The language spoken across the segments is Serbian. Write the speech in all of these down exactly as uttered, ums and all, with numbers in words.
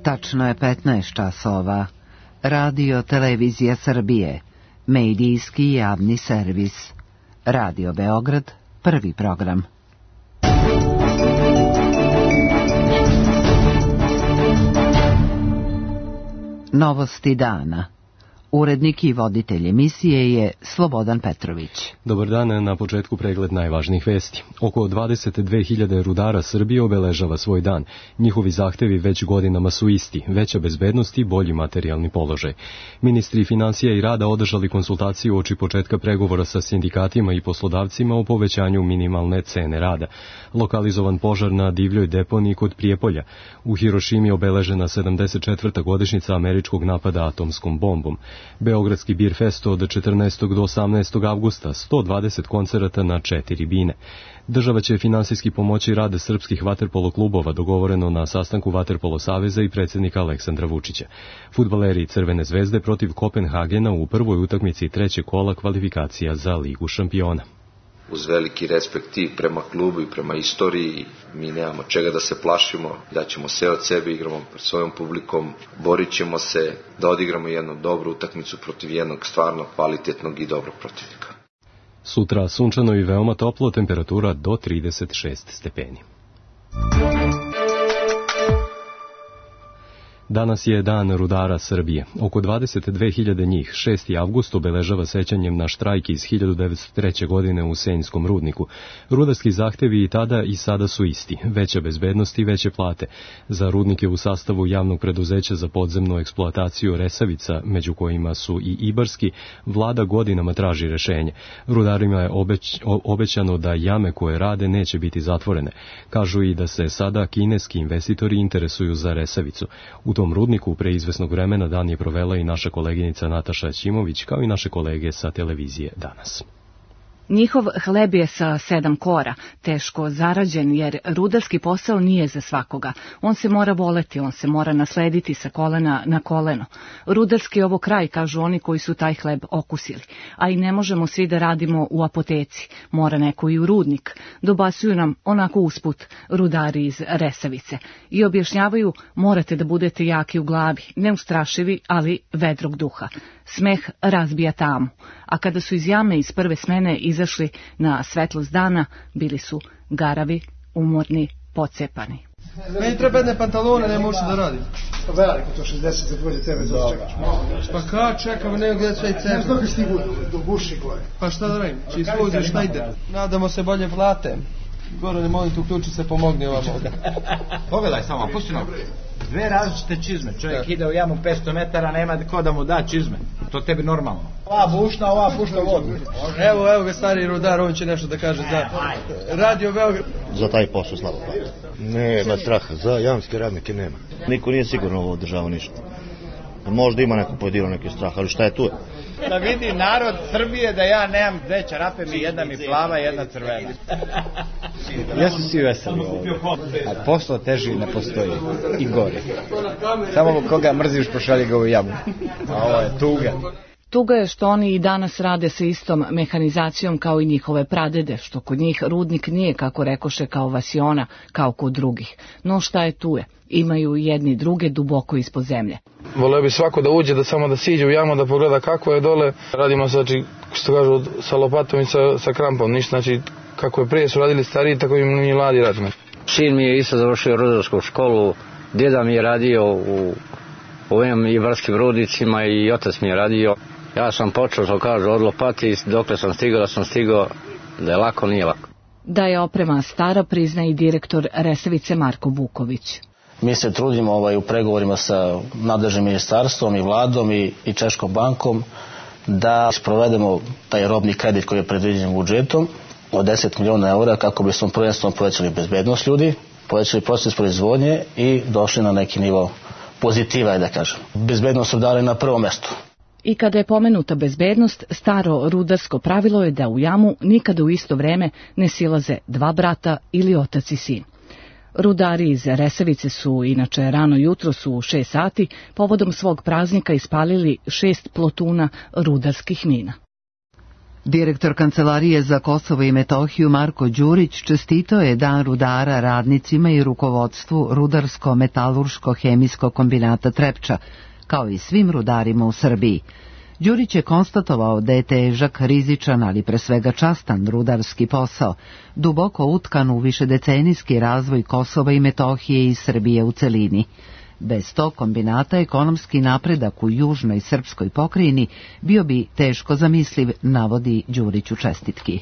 Tačno je petnaest časova. Radio Televizija Srbije, medijski javni servis. Radio Beograd, prvi program. Novosti dana. Urednik i voditelj emisije je Slobodan Petrović. Dobar dan, na početku pregled najvažnijih vesti. Oko dvadeset dve hiljade rudara Srbije obeležava svoj dan. Njihovi zahtevi već godinama su isti, veća bezbednost i bolji materijalni položaj. Ministri financija i rada održali konsultaciju uoči početka pregovora sa sindikatima i poslodavcima o povećanju minimalne cene rada. Lokalizovan požar na divljoj deponiji kod Prijepolja. U Hirošimi obeležena sedamdeset četvrta godišnjica američkog napada atomskom bombom. Beogradski Bir Fest od četrnaestog do osamnaestog avgusta, sto dvadeset koncerata na četiri bine. Država će finansijski pomoći rad srpskih vaterpolo klubova, dogovoreno na sastanku Vaterpolo saveza i predsjednika Aleksandra Vučića. Fudbaleri Crvene zvezde protiv Kopenhagena u prvoj utakmici trećeg kola kvalifikacija za Ligu šampiona. Uz veliki respekt i prema klubu i prema istoriji, mi nemamo čega da se plašimo, daćemo sve od sebe, igramo pred svojom publikom, borit ćemo se da odigramo jednu dobru utakmicu protiv jednog stvarno kvalitetnog i dobrog protivnika. Sutra sunčano i veoma toplo, temperatura do trideset šest stepeni. Danas je dan rudara Srbije. Oko dvadeset dve hiljade njih, šesti avgust, obeležava sećanjem na štrajk iz hiljadu devetsto treće. godine u Senjskom rudniku. Rudarski zahtevi i tada i sada su isti. Veća bezbednost i veće plate. Za rudnike u sastavu javnog preduzeća za podzemnu eksploataciju Resavica, među kojima su i Ibarski, vlada godinama traži rešenje. Rudarima je obeć, obećano da jame koje rade neće biti zatvorene. Kažu i da se sada kineski investitori interesuju za Resavicu. U tom rudniku pre izvesnog vremena dan je provela i naša koleginica Nataša Ćimović, kao i naše kolege sa televizije Danas. Njihov hleb je sa sedam kora, teško zarađen, jer rudarski posao nije za svakoga. On se mora voleti, on se mora naslediti sa kolena na koleno. Rudarski je ovo kraj, kažu oni koji su taj hleb okusili. A i ne možemo svi da radimo u apoteci, mora neko i u rudnik. Dobasuju nam onako usput rudari iz Resavice i objašnjavaju morate da budete jaki u glavi, neustrašivi, ali vedrog duha. Smeh razbija tamu, a kada su iz jame iz prve smene izašli na svetlost dana, bili su garavi, umorni, pocepani. Meni treba jedne pantalone, ne možeš da radim. Pa veliko to šezdeset za bolje tebe, da čekaš. Pa kada čekam, nego gdje sve i cebe. Znaš dok je stigu do guši gore. Pa šta da radim, čiji sluzi šta ide. Nadamo se bolje plate. Gorane, molim te, uključi se, pomogni ovam ovdje. Pogledaj samo, pusti nam. Dve različite čizme, čovjek ide u jamu petsto metara, nema ko da mu da čizme. To tebi normalno. Ova bušna, ova pušta vodu. Evo, evo ga stari rudar, on će nešto da kaže za Radio Beograd. Za taj posao slabo plata. Nema straha, za jamske radnike nema. Niko nije sigurno ovo država ništa. Možda ima neko pojedino neki strah, ali šta je tu? Da vidi narod Srbije da ja nemam dve čarape, mi jedna mi plava, jedna crvena. Jesu svi veseli ovdje, a posao teži ne postoji i gori. Samo koga mrziš pošalji ga u jamu, a ovo je tuga. Tuga je što oni i danas rade sa istom mehanizacijom kao i njihove pradede, što kod njih rudnik nije, kako rekoše, kao vasiona, kao kod drugih. No šta je tu je? Imaju jedni druge duboko ispod zemlje. Voleo bi svako da uđe, da samo da siđe u jamu, da pogleda kako je dole. Radimo znači, što kažu, sa lopatom i sa, sa krampom. Ništa, znači, kako je prije su radili stariji, tako i mi mladi radimo. Sin mi je isto završio rudarsku školu, djeda mi je radio u ovim ibarskim rudnicima i otac mi je radio. Ja sam počeo, to kažu, od lopati, dokle sam stigao, da sam stigao, da je lako, nije lako. Da je oprema stara, prizna i direktor Resavice Marko Vuković. Mi se trudimo ovaj, u pregovorima sa nadležnim ministarstvom i vladom i, i Češkom bankom da sprovedemo taj robni kredit koji je predviđen budžetom od deset miliona eura kako bismo prvenstveno povećali bezbednost ljudi, povećali proces proizvodnje i došli na neki nivo pozitiva, da kažem. Bezbednost su dali na prvo mesto. I kada je pomenuta bezbednost, staro rudarsko pravilo je da u jamu nikada u isto vreme ne silaze dva brata ili otac i sin. Rudari iz Resavice su, inače rano jutro su u šest sati, povodom svog praznika ispalili šest plotuna rudarskih mina. Direktor Kancelarije za Kosovo i Metohiju Marko Đurić čestitao je Dan rudara radnicima i rukovodstvu Rudarsko-metalurško-hemijskog kombinata Trepča, kao i svim rudarima u Srbiji. Đurić je konstatovao da je težak, rizičan, ali pre svega častan rudarski posao, duboko utkan u višedecenijski razvoj Kosova i Metohije i Srbije u celini. Bez tog kombinata ekonomski napredak u južnoj srpskoj pokrajini bio bi teško zamisliv, navodi Đurić u čestitki.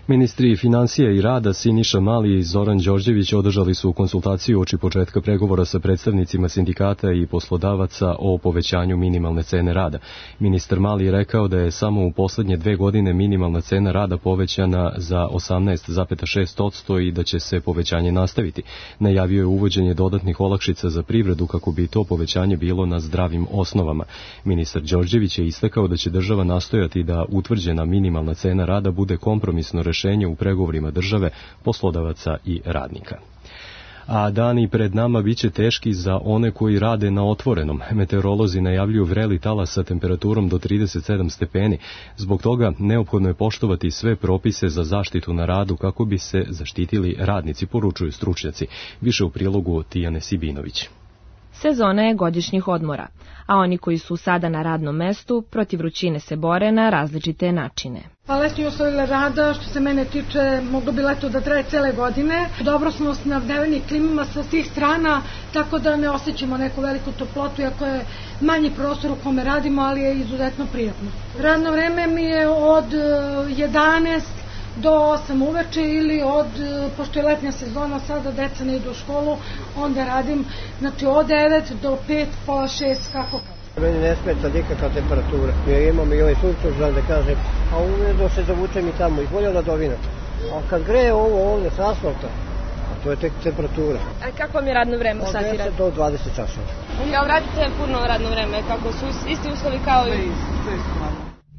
Ministri financija i rada Siniša Mali i Zoran Đorđević održali su konsultaciju uoči početka pregovora sa predstavnicima sindikata i poslodavaca o povećanju minimalne cene rada. Ministar Mali je rekao da je samo u poslednje dve godine minimalna cena rada povećana za osamnaest zarez šest posto i da će se povećanje nastaviti. Najavio je uvođenje dodatnih olakšica za privredu kako bi to povećanje bilo na zdravim osnovama. Ministar Đorđević je istakao da će država nastojati da utvrđena minimalna cena rada bude kompromisno rešenje u pregovorima države, poslodavaca i radnika. A dani pred nama biće teški za one koji rade na otvorenom. Meteorolozi najavljuju vreli talas sa temperaturom do trideset sedam stepeni. Zbog toga neophodno je poštovati sve propise za zaštitu na radu kako bi se zaštitili radnici, poručuju stručnjaci. Više u prilogu Tijane Sibinović. Sezona je godišnjih odmora, a oni koji su sada na radnom mestu protiv vrućine se bore na različite načine. Pa letnji uslovi rada, što se mene tiče, moglo bi leto da traje cele godine. Dobro smo snabdeveni klimama sa svih strana, tako da ne osjećamo neku veliku toplotu, iako je manji prostor u kome radimo, ali je izuzetno prijatno. Radno vreme mi je od jedanaest do osam uveče ili od, pošto je letnja sezona, sada deca ne idu u školu, onda radim, znači od devet do pet, pola šest, kako kako. Meni ne smeta nikakva temperatura. Ja imam i ovaj suncoždan da kažem, a uvedo se zavučem i tamo, i bolje ladovina. A kad greje ovo ovde s asfalta, a to je tek temperatura. A kako vam je radno vreme u sati rada? Od deset do dvadeset časova. Kao radite puno radno vreme, kako su isti uslovi kao i...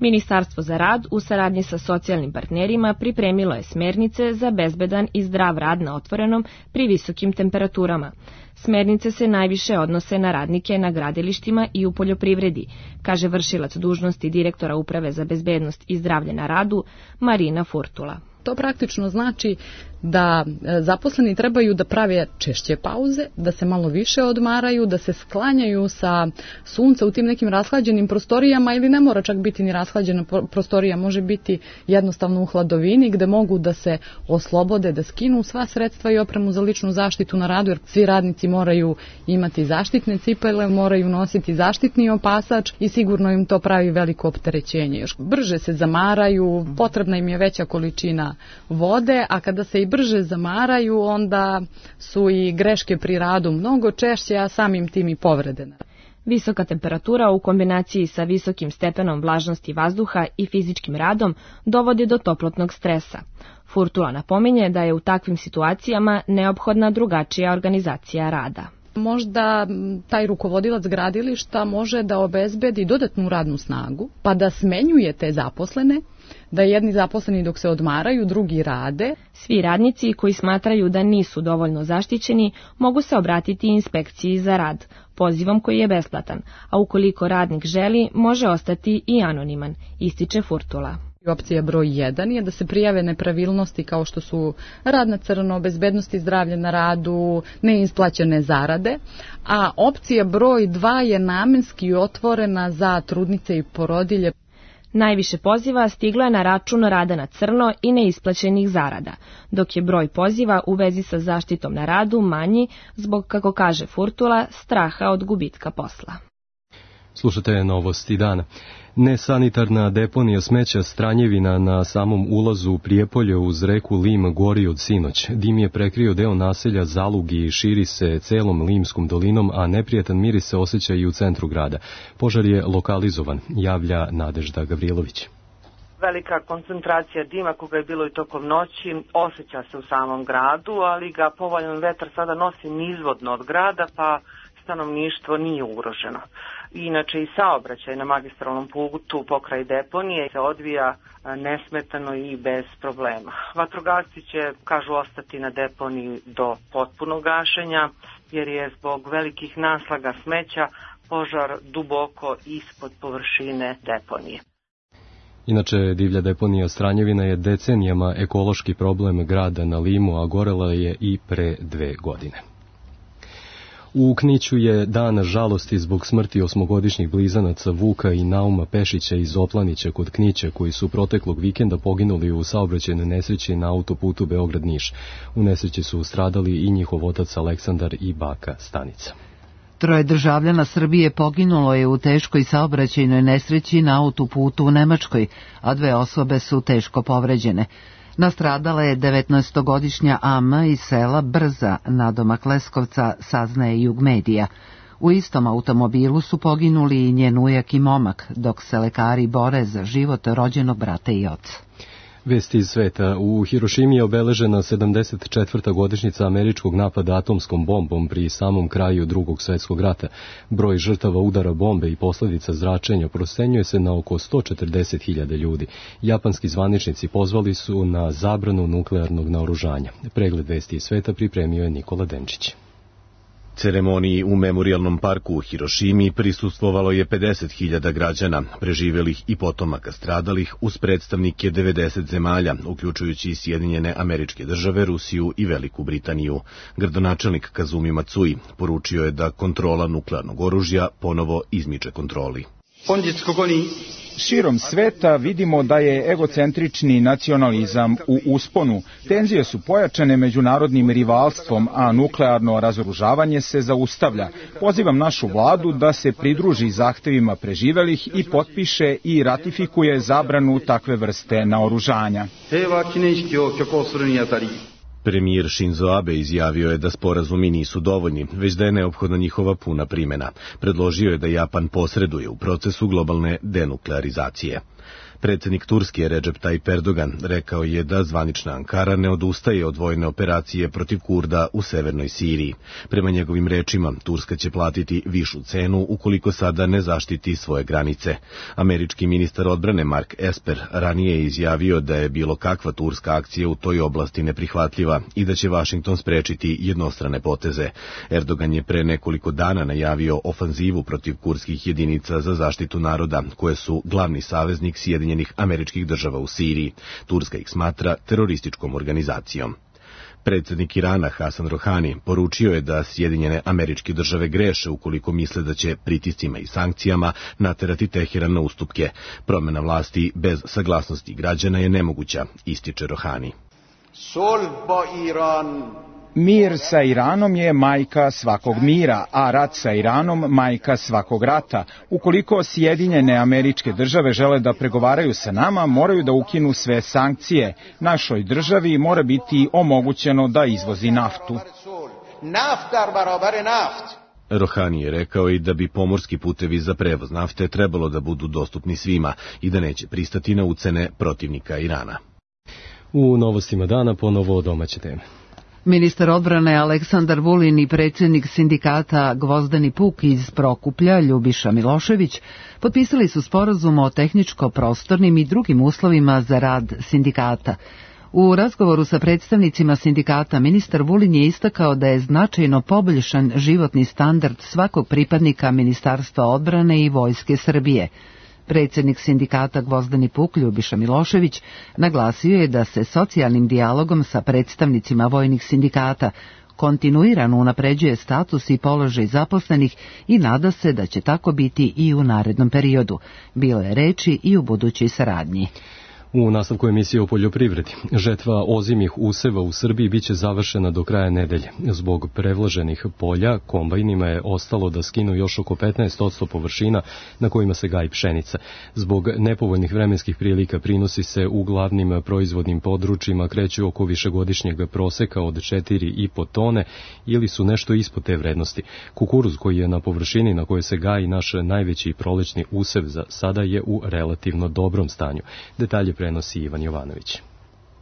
Ministarstvo za rad u saradnji sa socijalnim partnerima pripremilo je smernice za bezbedan i zdrav rad na otvorenom pri visokim temperaturama. Smernice se najviše odnose na radnike na gradilištima i u poljoprivredi, kaže vršilac dužnosti direktora Uprave za bezbednost i zdravlje na radu Marina Furtula. To praktično znači da zaposleni trebaju da prave češće pauze, da se malo više odmaraju, da se sklanjaju sa sunca u tim nekim rashlađenim prostorijama ili ne mora čak biti ni rashlađena prostorija, može biti jednostavno u hladovini gde mogu da se oslobode, da skinu sva sredstva i opremu za ličnu zaštitu na radu, jer svi radnici moraju imati zaštitne cipele, moraju nositi zaštitni opasač i sigurno im to pravi veliko opterećenje. Još brže se zamaraju, potrebna im je veća količina vode, a kada se i brže zamaraju, onda su i greške pri radu mnogo češće, a samim tim i povrede. Visoka temperatura u kombinaciji sa visokim stepenom vlažnosti vazduha i fizičkim radom dovodi do toplotnog stresa. Furtula napominje da je u takvim situacijama neophodna drugačija organizacija rada. Možda taj rukovodilac gradilišta može da obezbedi dodatnu radnu snagu, pa da smenjuje te zaposlene, da jedni zaposleni dok se odmaraju, drugi rade. Svi radnici koji smatraju da nisu dovoljno zaštićeni mogu se obratiti inspekciji za rad, pozivom koji je besplatan, a ukoliko radnik želi, može ostati i anoniman, ističe Furtula. Opcija broj jedan je da se prijave nepravilnosti kao što su rad na crno, bezbednost i zdravlje na radu, neisplaćene zarade, a opcija broj dva je namenski otvorena za trudnice i porodilje. Najviše poziva stiglo je na račun rada na crno i neisplaćenih zarada, dok je broj poziva u vezi sa zaštitom na radu manji zbog, kako kaže Furtula, straha od gubitka posla. Slušate Novosti dana. Nesanitarna deponija smeća Stranjevina na samom ulazu u Prijepolje uz reku Lim gori od sinoć. Dim je prekrio deo naselja Zalug i širi se celom Limskom dolinom, a neprijatan miris se osjeća i u centru grada. Požar je lokalizovan, javlja Nadežda Gavrilović. Velika koncentracija dima koga je bilo i tokom noći osjeća se u samom gradu, ali ga povoljan vetar sada nosi nizvodno od grada, pa stanovništvo nije ugroženo. Inače i saobraćaj na magistralnom putu pokraj deponije se odvija nesmetano i bez problema. Vatrogasci će, kažu, ostati na deponiji do potpunog gašenja, jer je zbog velikih naslaga smeća požar duboko ispod površine deponije. Inače, divlja deponija Stranjevina je decenijama ekološki problem grada na Limu, a gorela je i pre dve godine. U Kniću je dan žalosti zbog smrti osmogodišnjih blizanaca Vuka i Nauma Pešića iz Oplanića kod Knića, koji su proteklog vikenda poginuli u saobraćajnoj nesreći na autoputu Beograd-Niš. U nesreći su stradali i njihov otac Aleksandar i baka Stanica. Troje državljana Srbije poginulo je u teškoj saobraćajnoj nesreći na autoputu u Nemačkoj, a dve osobe su teško povređene. Nastradala je devetnaestogodišnja Ama iz sela Brza, nadomak Leskovca, saznaje Jugmedija. U istom automobilu su poginuli i njen ujak i momak, dok se lekari bore za život rođenog brata i oca. Vesti iz sveta. U Hirošimi je obeležena sedamdeset četvrta godišnjica američkog napada atomskom bombom pri samom kraju Drugog svjetskog rata. Broj žrtava udara bombe i posljedica zračenja procenjuje se na oko sto četrdeset hiljada ljudi. Japanski zvaničnici pozvali su na zabranu nuklearnog naoružanja. Pregled vesti iz sveta pripremio je Nikola Denčić. Ceremoniji u Memorijalnom parku u Hirošimi prisustvovalo je pedeset hiljada građana, preživelih i potomaka stradalih, uz predstavnike devedeset zemalja, uključujući i Sjedinjene Američke Države, Rusiju i Veliku Britaniju. Gradonačelnik Kazumi Matsui poručio je da kontrola nuklearnog oružja ponovo izmiče kontroli. Širom sveta vidimo da je egocentrični nacionalizam u usponu. Tenzije su pojačane međunarodnim rivalstvom, a nuklearno razoružavanje se zaustavlja. Pozivam našu vladu da se pridruži zahtevima preživelih i potpiše i ratifikuje zabranu takve vrste naoružanja. Premijer Shinzo Abe izjavio je da sporazumi nisu dovoljni, već da je neophodna njihova puna primjena. Predložio je da Japan posreduje u procesu globalne denuklearizacije. Predsjednik Turske Recep Tayyip Erdogan rekao je da zvanična Ankara ne odustaje od vojne operacije protiv Kurda u severnoj Siriji. Prema njegovim rečima, Turska će platiti višu cenu ukoliko sada ne zaštiti svoje granice. Američki ministar odbrane Mark Esper ranije je izjavio da je bilo kakva turska akcija u toj oblasti neprihvatljiva i da će Vašington sprečiti jednostrane poteze. Erdogan je pre nekoliko dana najavio ofanzivu protiv kurdskih jedinica za zaštitu naroda, koje su glavni saveznik Sjedinjenih Američkih Država u Siriji. Turska ih smatra terorističkom organizacijom. Predsjednik Irana Hasan Rohani poručio je da Sjedinjene Američke Države greše ukoliko misle da će pritiscima i sankcijama naterati Teheran na ustupke. Promjena vlasti bez saglasnosti građana je nemoguća, ističe Rohani. Mir sa Iranom je majka svakog mira, a rat sa Iranom majka svakog rata. Ukoliko Sjedinjene Američke Države žele da pregovaraju sa nama, moraju da ukinu sve sankcije. Našoj državi mora biti omogućeno da izvozi naftu. Rohani je rekao i da bi pomorski putevi za prevoz nafte trebalo da budu dostupni svima i da neće pristati na ucene protivnika Irana. U novostima dana ponovo domaće teme. Ministar odbrane Aleksandar Vulin i predsjednik sindikata Gvozdeni Puk iz Prokuplja, Ljubiša Milošević, potpisali su sporazum o tehničko-prostornim i drugim uslovima za rad sindikata. U razgovoru sa predstavnicima sindikata ministar Vulin je istakao da je značajno poboljšan životni standard svakog pripadnika Ministarstva odbrane i Vojske Srbije. Predsjednik sindikata Gvozdeni Puk, Ljubiša Milošević, naglasio je da se socijalnim dijalogom sa predstavnicima vojnih sindikata kontinuirano unapređuje status i položaj zaposlenih i nada se da će tako biti i u narednom periodu. Bilo je reči i u budućoj saradnji. U nastavku emisije o poljoprivredi, žetva ozimih useva u Srbiji biće završena do kraja nedelje. Zbog prevlaženih polja, kombajnima je ostalo da skinu još oko petnaest posto površina na kojima se gaji pšenica. Zbog nepovoljnih vremenskih prilika prinosi se u glavnim proizvodnim područjima kreću oko višegodišnjeg proseka od četiri i po tone ili su nešto ispod te vrednosti. Kukuruz, koji je na površini na kojoj se gaji naš najveći prolećni usev, za sada je u relativno dobrom stanju. Detalje prenosi Ivan Jovanović.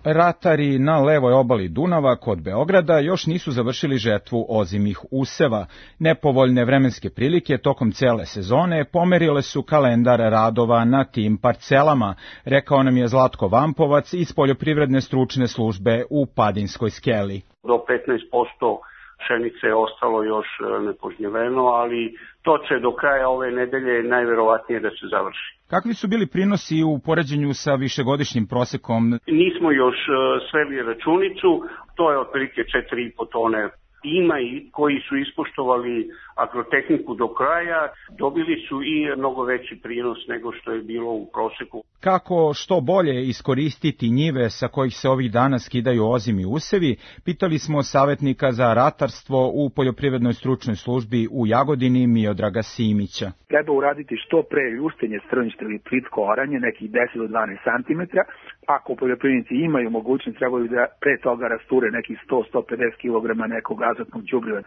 Ratari na levoj obali Dunava kod Beograda još nisu završili žetvu ozimih useva. Nepovoljne vremenske prilike tokom cele sezone pomerile su kalendar radova na tim parcelama, rekao nam je Zlatko Vampovac iz Poljoprivredne stručne službe u Padinskoj skeli. Do petnaest posto pšenice je ostalo još nepožnjeveno, ali to će do kraja ove nedelje najverovatnije da se završi. Kakvi su bili prinosi u poređenju sa višegodišnjim prosekom? Nismo još sveli računicu, to je otprilike četiri i po tone. Ima i koji su ispoštovali agrotehniku do kraja, dobili su i mnogo veći prinos nego što je bilo u proseku. Kako što bolje iskoristiti njive sa kojih se ovih dana skidaju ozimi usevi, pitali smo savjetnika za ratarstvo u Poljoprivrednoj stručnoj službi u Jagodini Miodraga Simića. Treba uraditi što pre ljustenje strništa ili plitko oranje, nekih deset do dvanaest santimetara. Ako poljoprivrednici imaju mogućnost, trebaju da pre toga rasture nekih sto do sto pedeset kilograma nekog azotnog đubriva.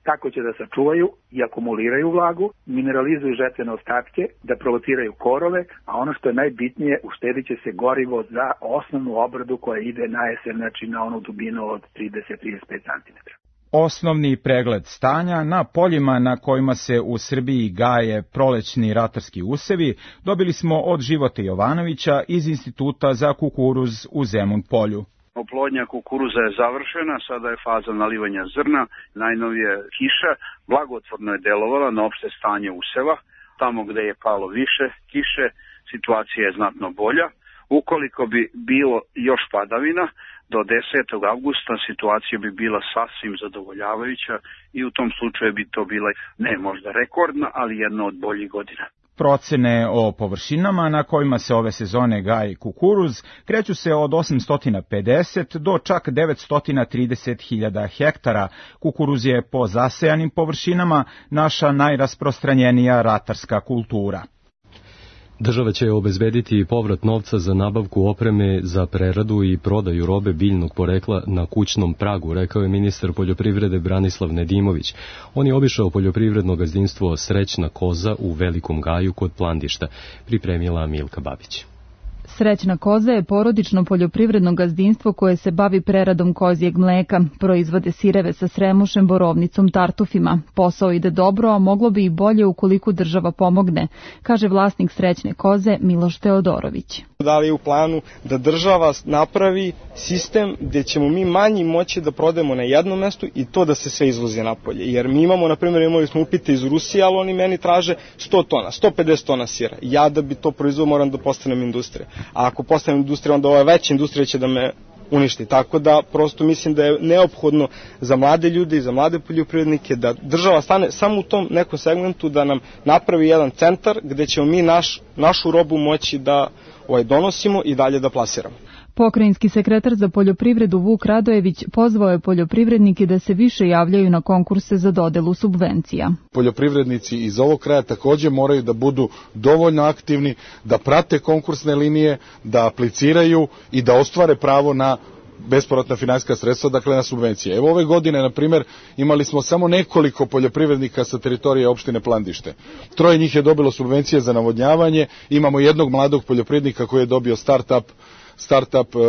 Tako će da sačuvaju i akumuliraju vlagu, mineralizuju žetvene ostatke, da provociraju korove, a ono što je najbitnije, uštedit će se gorivo za osnovnu obradu koja ide na jesen, znači na onu dubinu od trideset do trideset pet santimetara. Osnovni pregled stanja na poljima na kojima se u Srbiji gaje prolećni ratarski usevi dobili smo od Života Jovanovića iz Instituta za kukuruz u Zemun Polju. Oplodnja kukuruza je završena, sada je faza nalivanja zrna, najnovije kiša, blagotvorno je delovala na opšte stanje useva, tamo gde je palo više kiše, situacija je znatno bolja. Ukoliko bi bilo još padavina, do desetog avgusta situacija bi bila sasvim zadovoljavajuća i u tom slučaju bi to bila ne možda rekordna, ali jedna od boljih godina. Procene o površinama na kojima se ove sezone gaji kukuruz kreću se od osamsto pedeset do čak devetsto trideset hiljada hektara. Kukuruz je po zasejanim površinama naša najrasprostranjenija ratarska kultura. Država će obezbediti povrat novca za nabavku opreme za preradu i prodaju robe biljnog porekla na kućnom pragu, rekao je ministar poljoprivrede Branislav Nedimović. On je obišao poljoprivredno gazdinstvo Srećna koza u Velikom Gaju kod Plandišta, pripremila Milka Babić. Srećna koza je porodično poljoprivredno gazdinstvo koje se bavi preradom kozjeg mleka. Proizvode sireve sa sremušem, borovnicom, tartufima. Posao ide dobro, a moglo bi i bolje ukoliko država pomogne, kaže vlasnik Srećne koze Miloš Teodorović. Da li je u planu da država napravi sistem gdje ćemo mi manji moći da prodajemo na jednom mestu i to da se sve izvozi napolje. Jer mi imamo, na primjer, imali smo upite iz Rusije, ali oni meni traže sto tona, sto pedeset tona sira. Ja da bi to proizveo moram da postanem industrija. A ako postanem industrija, onda ova veća industrija će da me uništi. Tako da prosto mislim da je neophodno za mlade ljude i za mlade poljoprivrednike da država stane samo u tom nekom segmentu, da nam napravi jedan centar gdje ćemo mi naš, našu robu moći da ovaj, donosimo i dalje da plasiramo. Pokrajinski sekretar za poljoprivredu Vuk Radojević pozvao je poljoprivrednike da se više javljaju na konkurse za dodelu subvencija. Poljoprivrednici iz ovog kraja također moraju da budu dovoljno aktivni, da prate konkursne linije, da apliciraju i da ostvare pravo na bespovratna finansijska sredstva, dakle na subvencije. Evo ove godine, na primjer, imali smo samo nekoliko poljoprivrednika sa teritorije opštine Plandište. Troje njih je dobilo subvencije za navodnjavanje, imamo jednog mladog poljoprivrednika koji je dobio start-up start-up uh,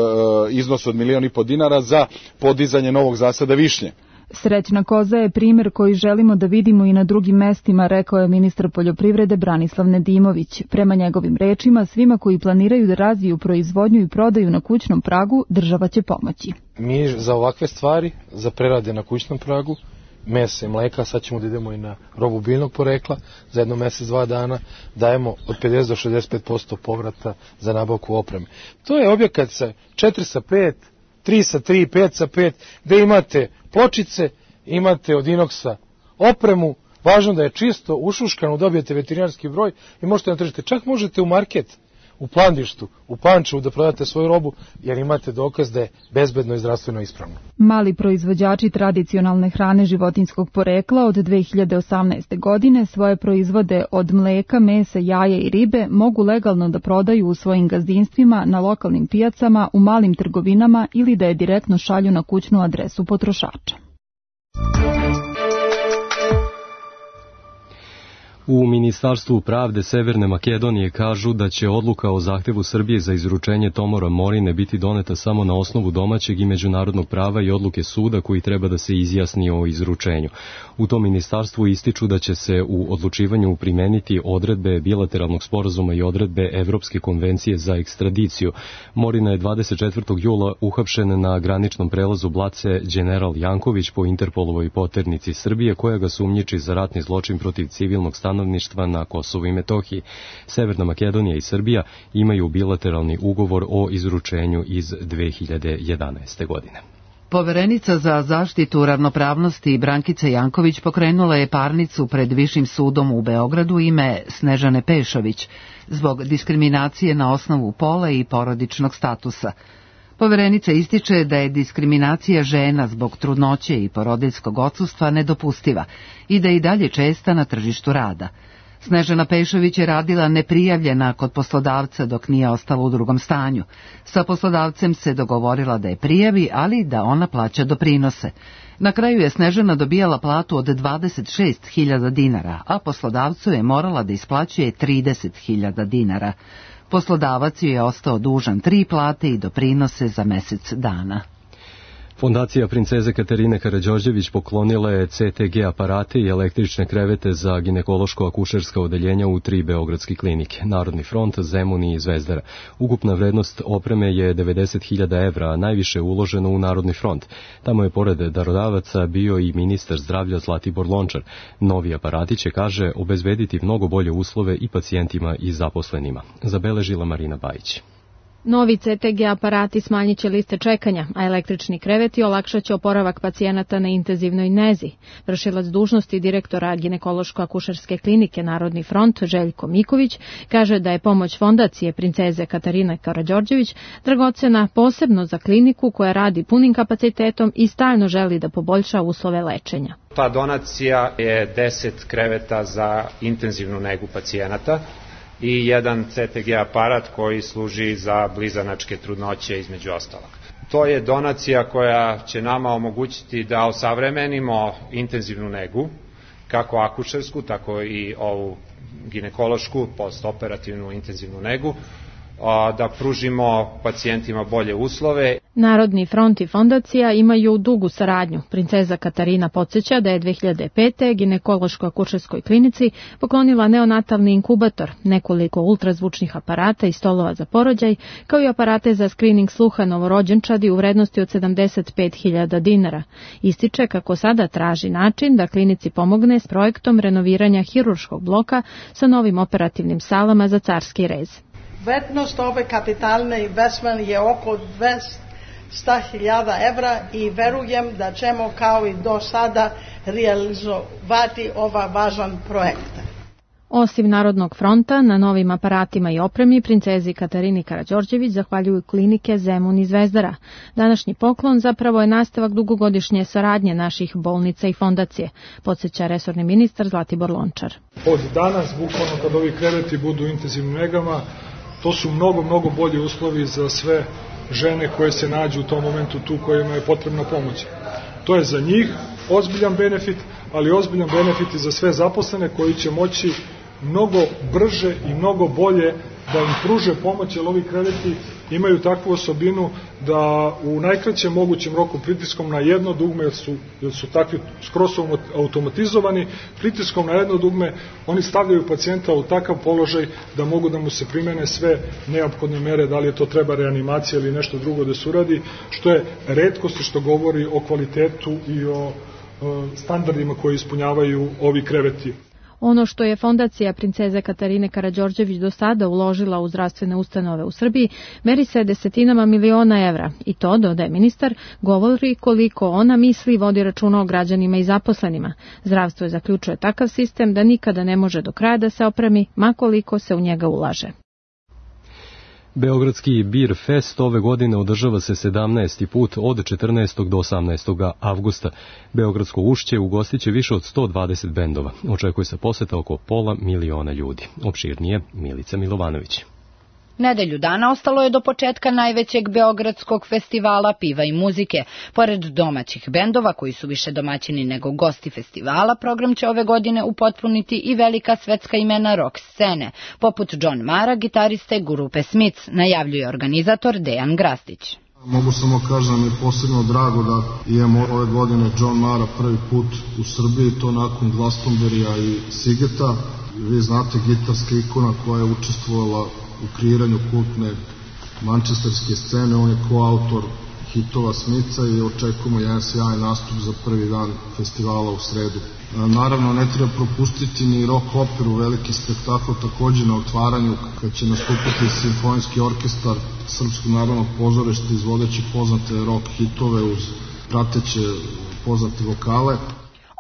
iznos od milijon i po dinara za podizanje novog zasada višnje. Srećna koza je primjer koji želimo da vidimo i na drugim mestima, rekao je ministar poljoprivrede Branislav Nedimović. Prema njegovim rečima, svima koji planiraju da razviju proizvodnju i prodaju na kućnom pragu, država će pomoći. Mi za ovakve stvari, za prerade na kućnom pragu, mesa i mleka, sad ćemo da idemo i na robu biljnog porekla, za jedno mesec, dva dana, dajemo od pedeset do šezdeset pet posto povrata za nabavku opreme. To je objekat sa četiri sa pet, tri sa tri, pet sa pet, gde imate pločice, imate od inoksa opremu, važno da je čisto, ušuškano, dobijete veterinarski broj i možete na tržište. Čak možete u market, u Plandištu, u Pančevu da prodate svoju robu, jer imate dokaz da je bezbedno i zdravstveno ispravno. Mali proizvođači tradicionalne hrane životinjskog porekla od dve hiljade osamnaeste. godine svoje proizvode od mleka, mesa, jaja i ribe mogu legalno da prodaju u svojim gazdinstvima, na lokalnim pijacama, u malim trgovinama ili da je direktno šalju na kućnu adresu potrošača. U Ministarstvu pravde Severne Makedonije kažu da će odluka o zahtevu Srbije za izručenje Tomora Morine biti doneta samo na osnovu domaćeg i međunarodnog prava i odluke suda koji treba da se izjasni o izručenju. U tom ministarstvu ističu da će se u odlučivanju primeniti odredbe bilateralnog sporazuma i odredbe Evropske konvencije za ekstradiciju. Morina je dvadeset četvrtog jula uhapšen na graničnom prelazu Blace General Janković po Interpolovoj poternici Srbije, koja ga sumnjiči za ratni zločin protiv civilnog stanovništva stanovništva na Kosovu i Metohiji. Severna Makedonija i Srbija imaju bilateralni ugovor o izručenju iz dve hiljade jedanaeste. godine. Poverenica za zaštitu ravnopravnosti Brankica Janković pokrenula je parnicu pred Višim sudom u Beogradu ime Snežane Pešović zbog diskriminacije na osnovu pola i porodičnog statusa. Poverenica ističe da je diskriminacija žena zbog trudnoće i porodiljskog odsustva nedopustiva i da je i dalje česta na tržištu rada. Snežana Pešović je radila neprijavljena kod poslodavca dok nije ostala u drugom stanju. Sa poslodavcem se dogovorila da je prijavi, ali da ona plaća doprinose. Na kraju je Snežana dobijala platu od dvadeset šest hiljada dinara, a poslodavcu je morala da isplaćuje trideset hiljada dinara. Poslodavac ju je ostao dužan tri plate i doprinose za mesec dana. Fondacija princeze Katarine Karađorđević poklonila je C T G aparate i električne krevete za ginekološko-akušerska odeljenja u tri beogradske klinike, Narodni front, Zemun i Zvezdara. Ukupna vrednost opreme je devedeset hiljada evra, a najviše uloženo u Narodni front. Tamo je pored darodavaca bio i ministar zdravlja Zlatibor Lončar. Novi aparati će, kaže, obezbediti mnogo bolje uslove i pacijentima i zaposlenima. Zabeležila Marina Bajić. Novi C T G aparati smanjit će liste čekanja, a električni kreveti olakšat će oporavak pacijenata na intenzivnoj nezi. Vršilac dužnosti direktora ginekološko-akušerske klinike Narodni front Željko Miković kaže da je pomoć fondacije princeze Katarine Karađorđević dragocena posebno za kliniku koja radi punim kapacitetom i stalno želi da poboljša uslove lečenja. Ta donacija je deset kreveta za intenzivnu negu pacijenata i jedan C T G aparat koji služi za blizanačke trudnoće između ostalog. To je donacija koja će nama omogućiti da osavremenimo intenzivnu negu, kako akušersku, tako i ovu ginekološku, postoperativnu intenzivnu negu, da pružimo pacijentima bolje uslove. Narodni front i fondacija imaju dugu saradnju. Princeza Katarina podsjeća da je dve hiljade pete. ginekološko-akušerskoj klinici poklonila neonatalni inkubator, nekoliko ultrazvučnih aparata i stolova za porođaj, kao i aparate za skrining sluha novorođenčadi u vrednosti od sedamdeset pet hiljada dinara. Ističe kako sada traži način da klinici pomogne s projektom renoviranja hirurškog bloka sa novim operativnim salama za carski rez. Vrednost ove kapitalne investment je oko dvesta hiljada evra i verujem da ćemo kao i do sada realizovati ova važan projekt. Osim Narodnog fronta, na novim aparatima i opremi princezi Katarini Karađorđević zahvaljuju klinike Zemun i Zvezdara. Današnji poklon zapravo je nastavak dugogodišnje saradnje naših bolnica i fondacije, podsjeća resorni ministar Zlatibor Lončar. Od danas, bukvalno kad ovi kreveti budu u intenzivnim negama, to su mnogo, mnogo bolji uslovi za sve žene koje se nađu u tom momentu tu kojima je potrebna pomoć. To je za njih ozbiljan benefit, ali ozbiljan benefit i za sve zaposlene koji će moći mnogo brže i mnogo bolje da im pruže pomoć, jer ovi kreveti imaju takvu osobinu da u najkraćem mogućem roku pritiskom na jedno dugme, jer su, jer su takvi skroz automatizovani, pritiskom na jedno dugme oni stavljaju pacijenta u takav položaj da mogu da mu se primene sve neophodne mere, da li je to treba reanimacija ili nešto drugo da se uradi, što je retkost što govori o kvalitetu i o, o standardima koje ispunjavaju ovi kreveti. Ono što je fondacija princeze Katarine Karađorđević do sada uložila u zdravstvene ustanove u Srbiji meri se desetinama miliona evra i to, dodaje ministar, govori koliko ona misli i vodi računa o građanima i zaposlenima. Zdravstvo je zaključuje takav sistem da nikada ne može do kraja da se opremi, ma koliko se u njega ulaže. Beogradski Beer Fest ove godine održava se sedamnaesti put od četrnaestog do osamnaestog avgusta. Beogradsko Ušće ugostiće više od sto dvadeset bendova. Očekuje se poseta oko pola miliona ljudi. Opširnije Milica Milovanović. Nedelju dana ostalo je do početka najvećeg beogradskog festivala piva i muzike. Pored domaćih bendova, koji su više domaćini nego gosti festivala, program će ove godine upotpuniti i velika svetska imena rock scene, poput John Mara, gitariste grupe Smiths, najavljuje organizator Dejan Grastić. Mogu samo kažem da mi je posebno drago da imamo ove godine John Mara prvi put u Srbiji, to nakon Glastonberija i Sigeta. Vi znate, gitarska ikona koja je učestvovala u kreiranju kultne mančesterske scene, on je koautor hitova Smica i očekujemo jedan sjajan nastup za prvi dan festivala u sredu. Naravno, ne treba propustiti ni rock operu, veliki spektakl takođe na otvaranju, kad će nastupiti simfonijski orkestar Srpskog narodnog pozorišta izvodeći poznate rock hitove uz prateće poznate vokale.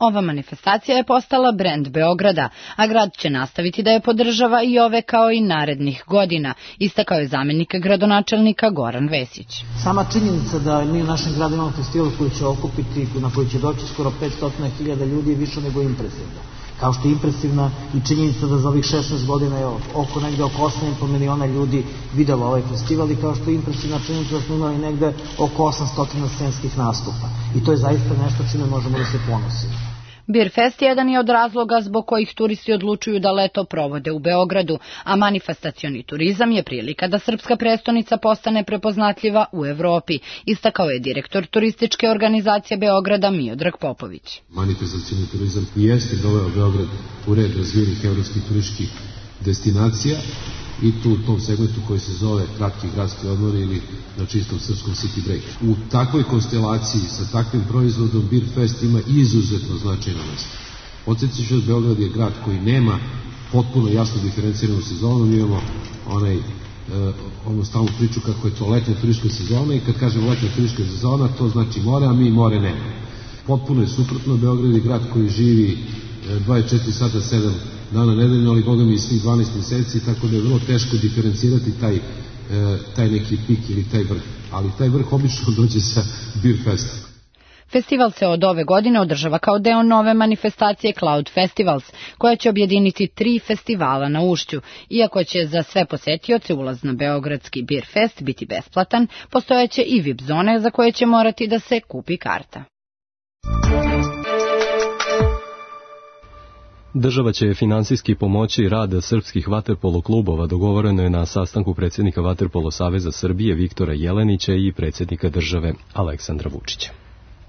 Ova manifestacija je postala brend Beograda, a grad će nastaviti da je podržava i ove kao i narednih godina, istakao je zamenik gradonačelnika Goran Vesić. Sama činjenica da mi u našem gradu imamo festival koji će okupiti, na koji će doći skoro petsto hiljada ljudi je više nego impresivna. Kao što je impresivna i činjenica da za ovih šesnaest godina je oko negde oko osam i po miliona ljudi videlo ovaj festival i kao što je impresivna činjenica da smo imali negde oko osamsto scenskih nastupa. I to je zaista nešto čime možemo da se ponosimo. Beer Fest jedan je od razloga zbog kojih turisti odlučuju da leto provode u Beogradu, a manifestacioni turizam je prilika da srpska prestonica postane prepoznatljiva u Evropi, istakao je direktor turističke organizacije Beograda Miodrag Popović. Manifestacioni turizam jeste doveo Beograd u red razvijenih evropskih turističkih destinacija i tu u tom segmentu koji se zove kratki gradski odmor ili na čistom srpskom city break. U takvoj konstelaciji sa takvim proizvodom Beer Fest ima izuzetno značajno mesto. Podsjetit ću, Beograd je grad koji nema potpuno jasno diferenciranu sezonu, mi imamo onaj, e, ono stalnu priču kako je to letnja turistička sezona i kad kažemo letnja turistička sezona to znači more, a mi more nema. Potpuno je suprotno, Beograd je grad koji živi dvadeset četiri sata, sedam dana nedeljno, ali boga mi i svih dvanaest meseci, tako da je vrlo teško diferencirati taj, taj neki pik ili taj vrh. Ali taj vrh obično dođe sa Beer Festom. Festival se od ove godine održava kao deo nove manifestacije Cloud Festivals, koja će objediniti tri festivala na Ušću. Iako će za sve posetioce ulaz na beogradski Beer Fest biti besplatan, postojeće i V I P zone za koje će morati da se kupi karta. Država će finansijski pomoći rad srpskih vaterpolo klubova, dogovoreno je na sastanku predsjednika Vaterpolo saveza Srbije Viktora Jelenića i predsjednika države Aleksandra Vučića.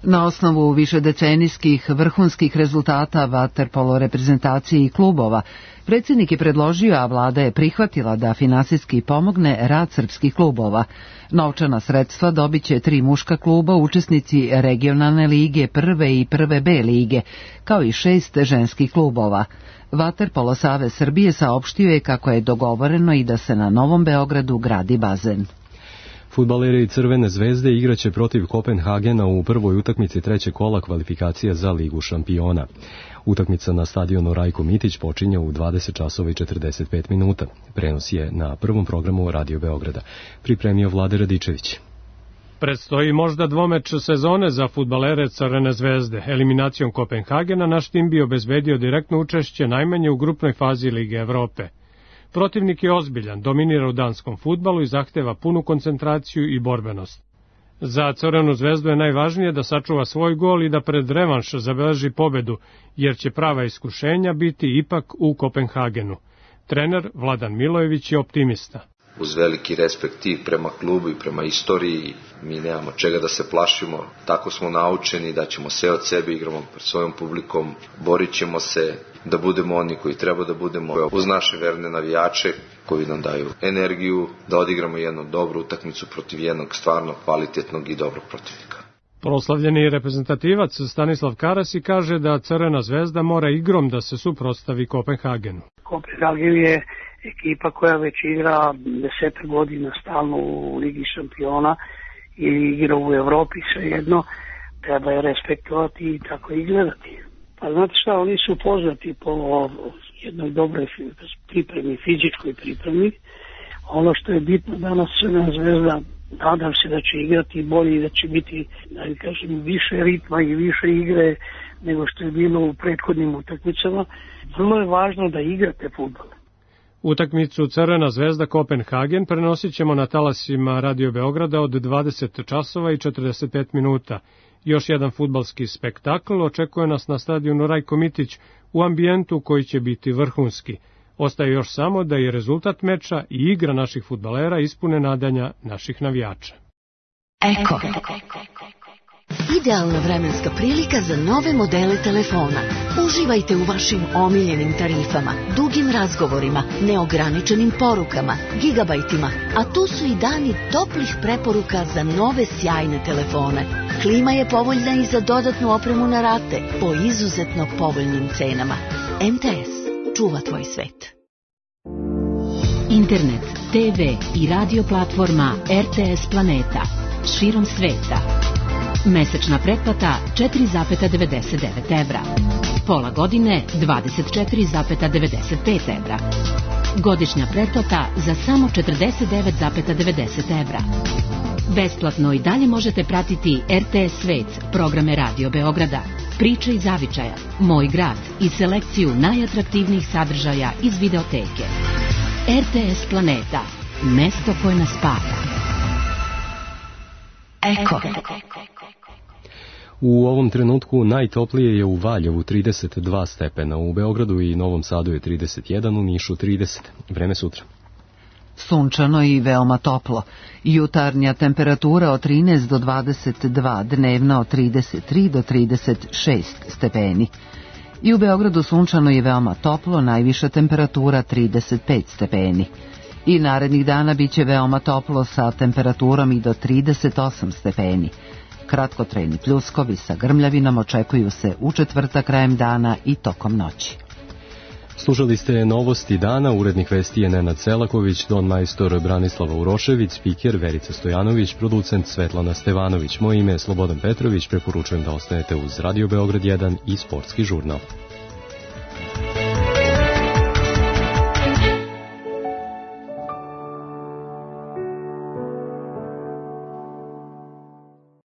Na osnovu višedecenijskih vrhunskih rezultata vaterpolo reprezentacije i klubova, predsjednik je predložio, a vlada je prihvatila da finansijski pomogne rad srpskih klubova. Novčana sredstva dobit će tri muška kluba, učesnici regionalne lige prve i prve B lige, kao i šest ženskih klubova. Vaterpolo savez Srbije saopštio je kako je dogovoreno i da se na Novom Beogradu gradi bazen. Fudbaleri Crvene zvezde igraće protiv Kopenhagena u prvoj utakmici trećeg kola kvalifikacija za Ligu šampiona. Utakmica na stadionu Rajko Mitić počinje u dvadeset časova i četrdeset pet minuta. Prenos je na prvom programu Radio Beograda. Pripremio Vlade Radičević. Predstoji možda dvomeč sezone za fudbalere Crvene zvezde. Eliminacijom Kopenhagena naš tim bi obezbedio direktno učešće najmanje u grupnoj fazi Lige Evrope. Protivnik je ozbiljan, dominira u danskom fudbalu i zahteva punu koncentraciju i borbenost. Za Crvenu zvezdu je najvažnije da sačuva svoj gol i da pred revanš zabeleži pobedu, jer će prava iskušenja biti ipak u Kopenhagenu. Trener Vladan Milojević je optimista. Uz veliki respekt i prema klubu i prema istoriji, mi nemamo čega da se plašimo, tako smo naučeni da ćemo sve od sebe, igramo pred svojom publikom, borit ćemo se da budemo oni koji treba da budemo, uz naše verne navijače koji nam daju energiju da odigramo jednu dobru utakmicu protiv jednog stvarno kvalitetnog i dobrog protivnika. Proslavljeni reprezentativac Stanislav Karasi kaže da Crvena zvezda mora igrom da se suprotstavi Kopenhagenu. Kopenhagen je ekipa koja već igra deset godina stalno u Ligi šampiona ili igra u Evropi, svejedno, treba je respektovati i tako i gledati. Pa znate šta, oni su poznati po jednoj dobroj pripremi, fizičkoj pripremi. Ono što je bitno danas Crvena zvezda, nadam se da će igrati bolje i da će biti, da kažem, više ritma i više igre nego što je bilo u prethodnim utakmicama. Vrlo je važno da igrate fudbal. Utakmicu Crvena zvezda Kopenhagen prenosit ćemo na talasima Radio Beograda od dvadeset časova i četrdeset pet minuta. Još jedan fudbalski spektakl očekuje nas na stadionu Rajko Mitić u ambijentu koji će biti vrhunski. Ostaje još samo da je rezultat meča i igra naših fudbalera ispune nadanja naših navijača. Eko. Idealna vremenska prilika za nove modele telefona. Uživajte u vašim omiljenim tarifama, dugim razgovorima, neograničenim porukama, gigabajtima, a tu su i dani toplih preporuka za nove sjajne telefone. Klima je povoljna i za dodatnu opremu na rate po izuzetno povoljnim cenama. M T S čuva tvoj svet. Internet, te ve i radio platforma R T S Planeta širom sveta. Mesečna pretplata četiri zarez devedeset devet evra. Pola godine dvadeset četiri zarez devedeset pet evra. Godišnja pretplata za samo četrdeset devet zarez devedeset evra. Besplatno i dalje možete pratiti R T S Svet, programe Radio Beograda, Priče iz zavičaja, Moj grad i selekciju najatraktivnijih sadržaja iz videoteke. R T S Planeta, mesto koje nas spaja. Eko. U ovom trenutku najtoplije je u Valjevu trideset dva stepena, u Beogradu i Novom Sadu je trideset jedan, u Nišu trideset. Vreme sutra. Sunčano i veoma toplo. Jutarnja temperatura od trinaest do dvadeset dva, dnevna od trideset tri do trideset šest stepeni. I u Beogradu sunčano i veoma toplo, najviša temperatura trideset pet stepeni. I narednih dana biće veoma toplo sa temperaturom i do trideset osam stepeni. Kratkotrajni pljuskovi sa grmljavinom očekuju se u četvrtak krajem dana i tokom noći. Slušali ste novosti dana, urednik vesti je Nenad Selaković, don majstor Branislava Urošević, spiker Verica Stojanović, producent Svetlana Stevanović. Moje ime je Slobodan Petrović, preporučujem da ostanete uz Radio Beograd jedan i Sportski žurnal.